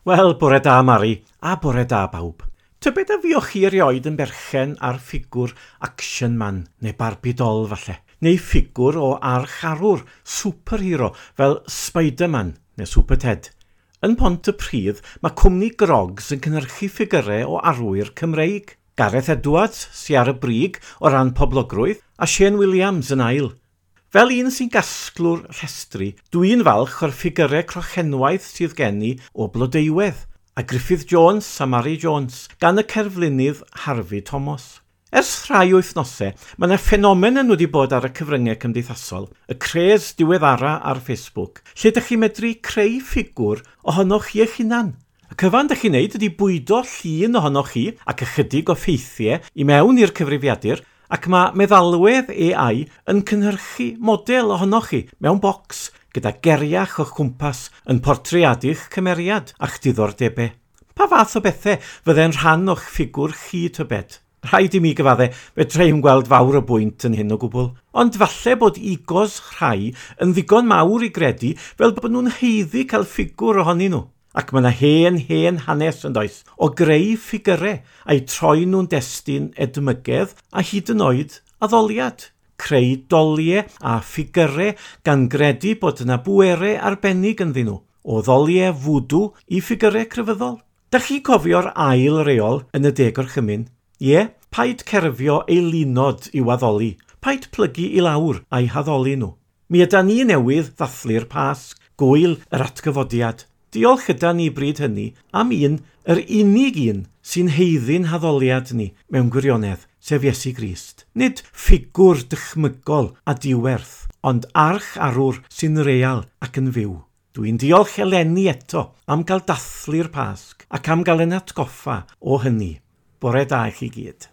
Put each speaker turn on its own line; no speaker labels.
Wel, bore da Mari, a bore da bawb. Tybed a fuoch chi erioed yn berchen ar ffigwr Action Man neu Barbie doll falle, neu ffigwr o archarwr, superhero fel Spider-Man neu Super Ted. Yn Pontypridd, mae cwmni Grogs yn cynhyrchu ffigyrau o arwyr Cymreig. Gareth Edwards sy ar y brig o ran poblogrwydd, a Shane Williams yn ail. Fel un sy'n gasglwr rhestri, dwi'n falch o'r ffigyrau crochenwaith sydd gen i o Blodeuwedd, a Griffith Jones a Mary Jones, gan y cerflunydd Harvey Thomas. Ers rhai wythnosau, mae yna ffenomen wedi bod ar y cyfryngau cymdeithasol, y cres diweddara ar Facebook, lle ydych chi'n medru creu ffigwr ohonoch chi eich hunan. Y cyfan ydych chi'n neud ydy bwydo llun ohonoch chi ac ychydig o ffeithiau i mewn i'r cyfrifiadur, ac mae meddalwedd AI yn cynhyrchu model ohonoch chi mewn bocs gyda geriach o'ch cwmpas yn portreadu'ch cymeriad a'ch diddordebau. Pa fath o bethau fydde'n rhan o'ch ffigwr chi tybed? Rhaid i mi gyfadde, fedra i'm gweld fawr o bwynt yn hyn o gwbl. Ond falle bod egos rhai yn ddigon mawr i gredu fel bod nhw'n haeddu cael ffigwr ohonyn nhw. Ac mae yna hen, hen hanes yn does, o greu ffigyrau a'u troi nhw'n destun edmygedd a hyd yn oed addoliad. Creu doliau a ffigyrau gan gredu bod yna bwerau arbennig ynddyn nhw, o ddoliau fwdw i ffigyrau crefyddol. Dach chi'n cofio'r ail reol yn y Deg Gorchymyn? Ie, paid cerfio eilunod i'w addoli, paid plygu i lawr a'i haddoli nhw. Mi ydan ni newydd ddathlu'r Pasg, gwyl yr atgyfodiad. Diolch yda ni bryd hynny am un, yr unig un, sy'n haeddu'n haddoliad ni mewn gwirionedd, sef Iesu Grist. Nid ffigwr dychmygol a diwerth, ond arch arwr sy'n real ac yn fyw. Dwi'n diolch eleni eto am gael dathlu'r Pasg ac am gael yn atgoffa o hynny. Bore da i chi gyd.